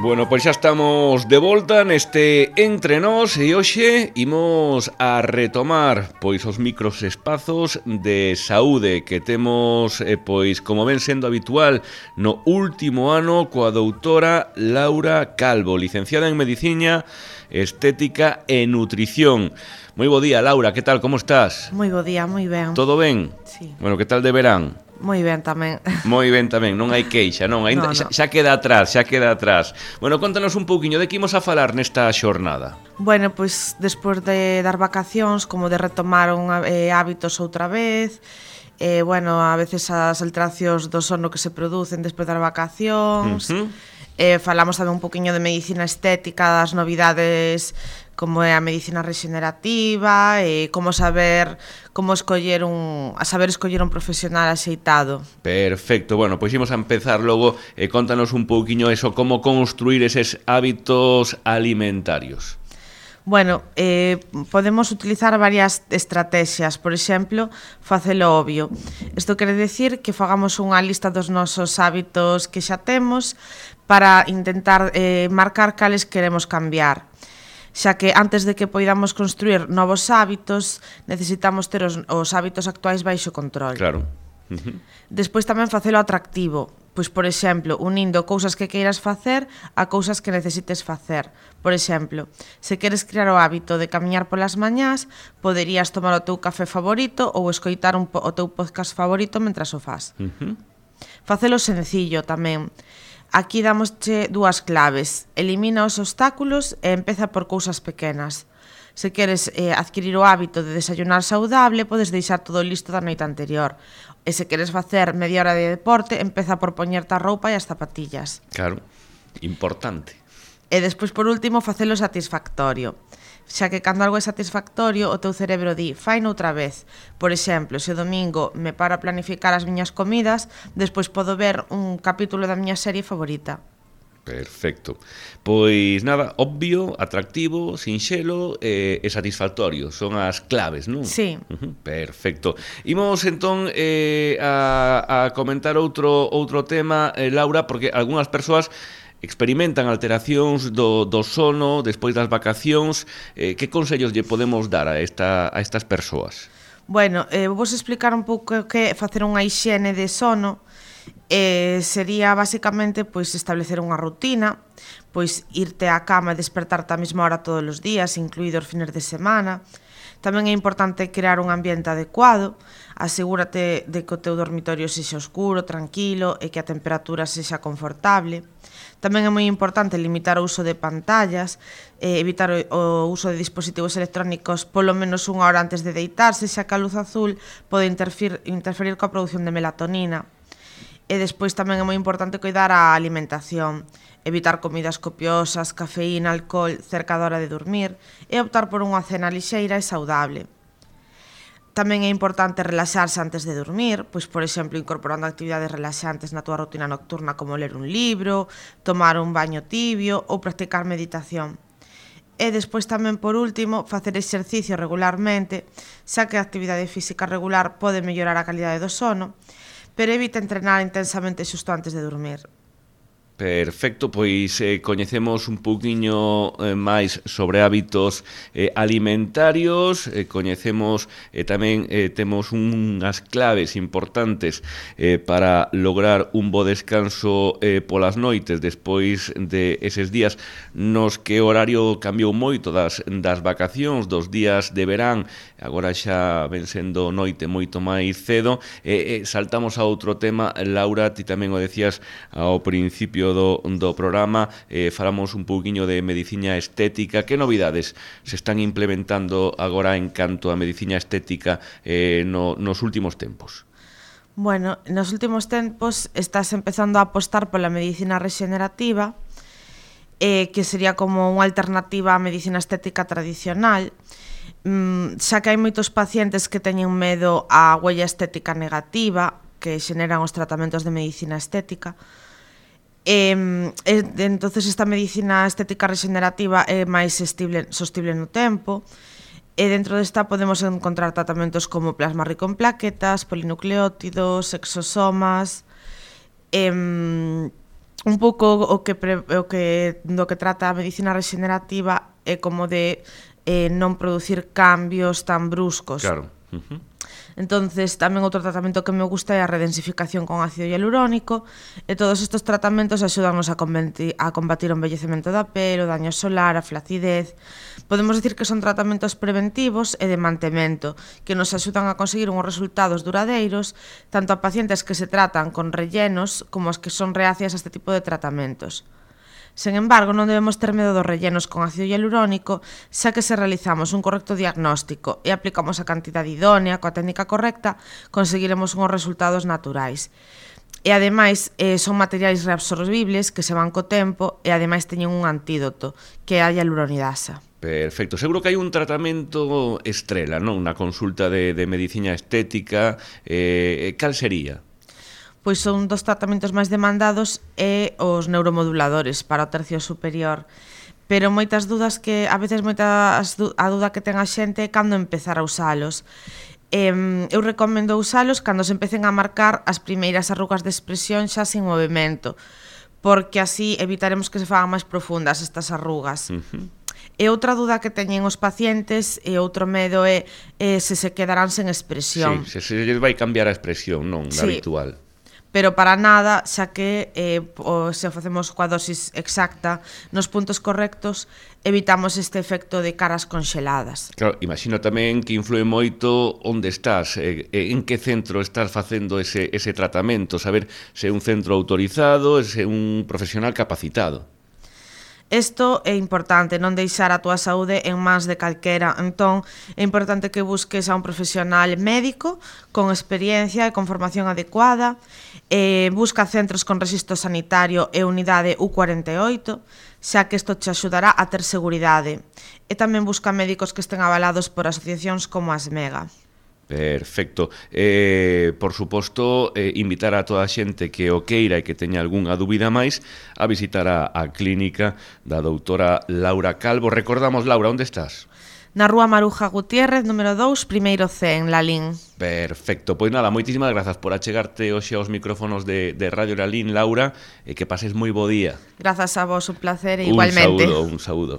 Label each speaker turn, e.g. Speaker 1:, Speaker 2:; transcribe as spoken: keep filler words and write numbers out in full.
Speaker 1: Bueno, pois xa estamos de volta neste Entre Nós e hoxe imos a retomar pois os micros espazos de saúde que temos, eh, pois como ven sendo habitual no último ano coa doutora Laura Calvo, licenciada en Medicina, Estética e Nutrición. Moi bo día, Laura, que tal, como estás?
Speaker 2: Moi bo día, moi ben.
Speaker 1: Todo ben?
Speaker 2: Sí.
Speaker 1: Bueno, que tal de verán?
Speaker 2: Moi ben tamén.
Speaker 1: Moi ben tamén, non hai queixa, non, ainda,
Speaker 2: no, no.
Speaker 1: Xa, xa queda atrás, xa queda atrás. Bueno, contanos un pouquiño de que imos a falar nesta xornada.
Speaker 2: Bueno, pois despois de dar vacacións, como de retomar un, eh, hábitos outra vez, eh, bueno, a veces as alteracións do sono que se producen despois das vacacións, uh-huh. eh, falamos tamén un pouquiño de medicina estética, das novidades como é a medicina rexenerativa, e como saber como escoller un, a saber escoller un profesional axeitado.
Speaker 1: Perfecto, bueno, pois imos a empezar logo, e eh, contanos un pouquiño eso, como construir eses hábitos alimentarios.
Speaker 2: Bueno, eh, podemos utilizar varias estrategias, por exemplo, facelo obvio. Isto quere decir que fagamos unha lista dos nosos hábitos que xa temos para intentar eh, marcar cales queremos cambiar. Xa que antes de que poidamos construir novos hábitos, necesitamos ter os, os hábitos actuais baixo control.
Speaker 1: Claro. Uh-huh.
Speaker 2: Despois tamén facelo atractivo, pois, por exemplo, unindo cousas que queiras facer a cousas que necesites facer. Por exemplo, se queres crear o hábito de camiñar polas mañás, poderías tomar o teu café favorito ou escoitar un po- o teu podcast favorito mentras o fas.
Speaker 1: Uh-huh.
Speaker 2: Facelo sencillo tamén. Aquí damosche dúas claves. Elimina os obstáculos e empeza por cousas pequenas. Se queres eh, adquirir o hábito de desayunar saudable, podes deixar todo listo da noite anterior. E se queres facer media hora de deporte, empeza por poñerte a roupa e as zapatillas.
Speaker 1: Claro, importante.
Speaker 2: E despois, por último, facelo satisfactorio. Xa que cando algo é satisfactorio, o teu cerebro di, faino outra vez. Por exemplo, se o domingo me paro a planificar as miñas comidas, despois podo ver un capítulo da miña serie favorita.
Speaker 1: Perfecto. Pois nada, obvio, atractivo, sinxelo e, e satisfactorio. Son as claves, non?
Speaker 2: Sí.
Speaker 1: Uh-huh. Perfecto. Imos entón eh, a, a comentar outro, outro tema, eh, Laura, porque algunhas persoas experimentan alteracións do, do sono despois das vacacións. Eh, que consellos lle podemos dar a, esta, a estas persoas?
Speaker 2: Bueno, eh, vos explicar un pouco que é facer unha hixiene de sono. Eh, sería basicamente pois establecer unha rutina, pois irte á cama e despertarte á mesma hora todos os días, incluídos os fines de semana. Tamén é importante crear un ambiente adecuado, asegúrate de que o teu dormitorio sexa oscuro, tranquilo e que a temperatura sexa confortable. Tamén é moi importante limitar o uso de pantallas, eh, evitar o, o uso de dispositivos electrónicos polo menos unha hora antes de deitarse, xa que a luz azul pode interferir, interferir coa produción de melatonina. E despois tamén é moi importante cuidar a alimentación, evitar comidas copiosas, cafeína, alcohol cerca da hora de dormir e optar por unha cena lixeira e saudable. Tamén é importante relaxarse antes de dormir, pois, por exemplo, incorporando actividades relaxantes na túa rutina nocturna como ler un libro, tomar un baño tibio ou practicar meditación. E despois tamén, por último, facer exercicio regularmente, xa que a actividade física regular pode mellorar a calidade do sono, pero evita entrenar intensamente xusto antes de dormir.
Speaker 1: Perfecto, pois eh, coñecemos un pouquiño eh, máis sobre hábitos eh, alimentarios, eh, coñecemos eh, tamén eh, temos unhas claves importantes eh, para lograr un bo descanso eh, polas noites despois de eses días nos que o horario cambiou moito das, das vacacións, dos días de verán, agora xa ven sendo noite moito máis cedo. Eh, eh, saltamos a outro tema, Laura, ti tamén o decías ao principio Do, do programa, eh, falamos un pouquiño de medicina estética. Que novidades se están implementando agora en canto a medicina estética eh, no, nos últimos tempos?
Speaker 2: Bueno, nos últimos tempos estás empezando a apostar pola medicina rexenerativa, eh, que sería como unha alternativa á medicina estética tradicional, mm, xa que hai moitos pacientes que teñen medo á huella estética negativa que xeneran os tratamentos de medicina estética. E, e, entonces esta medicina estética rexenerativa é máis estible, sostible no tempo, e dentro desta podemos encontrar tratamentos como plasma rico en plaquetas, polinucleótidos, exosomas, e, un pouco o que, pre, o que do que trata a medicina regenerativa é como de eh, non producir cambios tan bruscos.
Speaker 1: Claro. Uh-huh.
Speaker 2: Entonces, tamén outro tratamento que me gusta é a redensificación con ácido hialurónico, e todos estes tratamentos axudannos a combatir, a combatir o envellecemento da pel, o daño solar, a flacidez. Podemos dicir que son tratamentos preventivos e de mantemento, que nos axudan a conseguir uns resultados duradeiros, tanto a pacientes que se tratan con rellenos como as que son reacias a este tipo de tratamentos. Sen embargo, non debemos ter medo dos rellenos con ácido hialurónico, xa que se realizamos un correcto diagnóstico e aplicamos a cantidade idónea, coa técnica correcta, conseguiremos unhos resultados naturais. E ademais, eh, son materiais reabsorbibles que se van co tempo e ademais teñen un antídoto, que é a hialuronidasa.
Speaker 1: Perfecto. Seguro que hai un tratamento estrela, non? Unha consulta de, de medicina estética. Eh, cal sería?
Speaker 2: Pois son dos tratamentos máis demandados e os neuromoduladores para o tercio superior. Pero moitas dudas que, a veces moitas a dúda que ten a xente é cando empezar a usalos. Eh, eu recomendo usalos cando se empecen a marcar as primeiras arrugas de expresión xa sin movimento, porque así evitaremos que se fagan máis profundas estas arrugas. Uh-huh. E outra duda que teñen os pacientes e outro medo é, é se se quedarán sen expresión.
Speaker 1: Sí, se se lles vai cambiar a expresión, non? Da
Speaker 2: sí.
Speaker 1: habitual.
Speaker 2: Pero para nada, xa que eh, o, se o facemos coa dosis exacta nos puntos correctos, evitamos este efecto de caras conxeladas.
Speaker 1: Claro, imagino tamén que influe moito onde estás, eh, en que centro estás facendo ese, ese tratamento, saber se é un centro autorizado, se é un profesional capacitado.
Speaker 2: Isto é importante, non deixar a túa saúde en mans de calquera. Entón, é importante que busques a un profesional médico con experiencia e con formación adecuada. Eh, busca centros con rexistro sanitario e unidade U cuarenta e oito, xa que isto te axudará a ter seguridade. E tamén busca médicos que estén avalados por asociacións como a SMEGA.
Speaker 1: Perfecto. Eh, por suposto, eh, invitar a toda a xente que o queira e que teña algunha dúbida máis a visitar a, a clínica da doutora Laura Calvo. Recordamos, Laura, onde estás?
Speaker 2: Na rúa Maruja Gutiérrez, número dous, primeiro C, en Lalín.
Speaker 1: Perfecto. Pois nada, moitísimas grazas por achegarte hoxe aos micrófonos de, de Radio Lalín, Laura, e que pases moi bo día.
Speaker 2: Grazas a vos, un placer e igualmente.
Speaker 1: Un saúdo, un saúdo.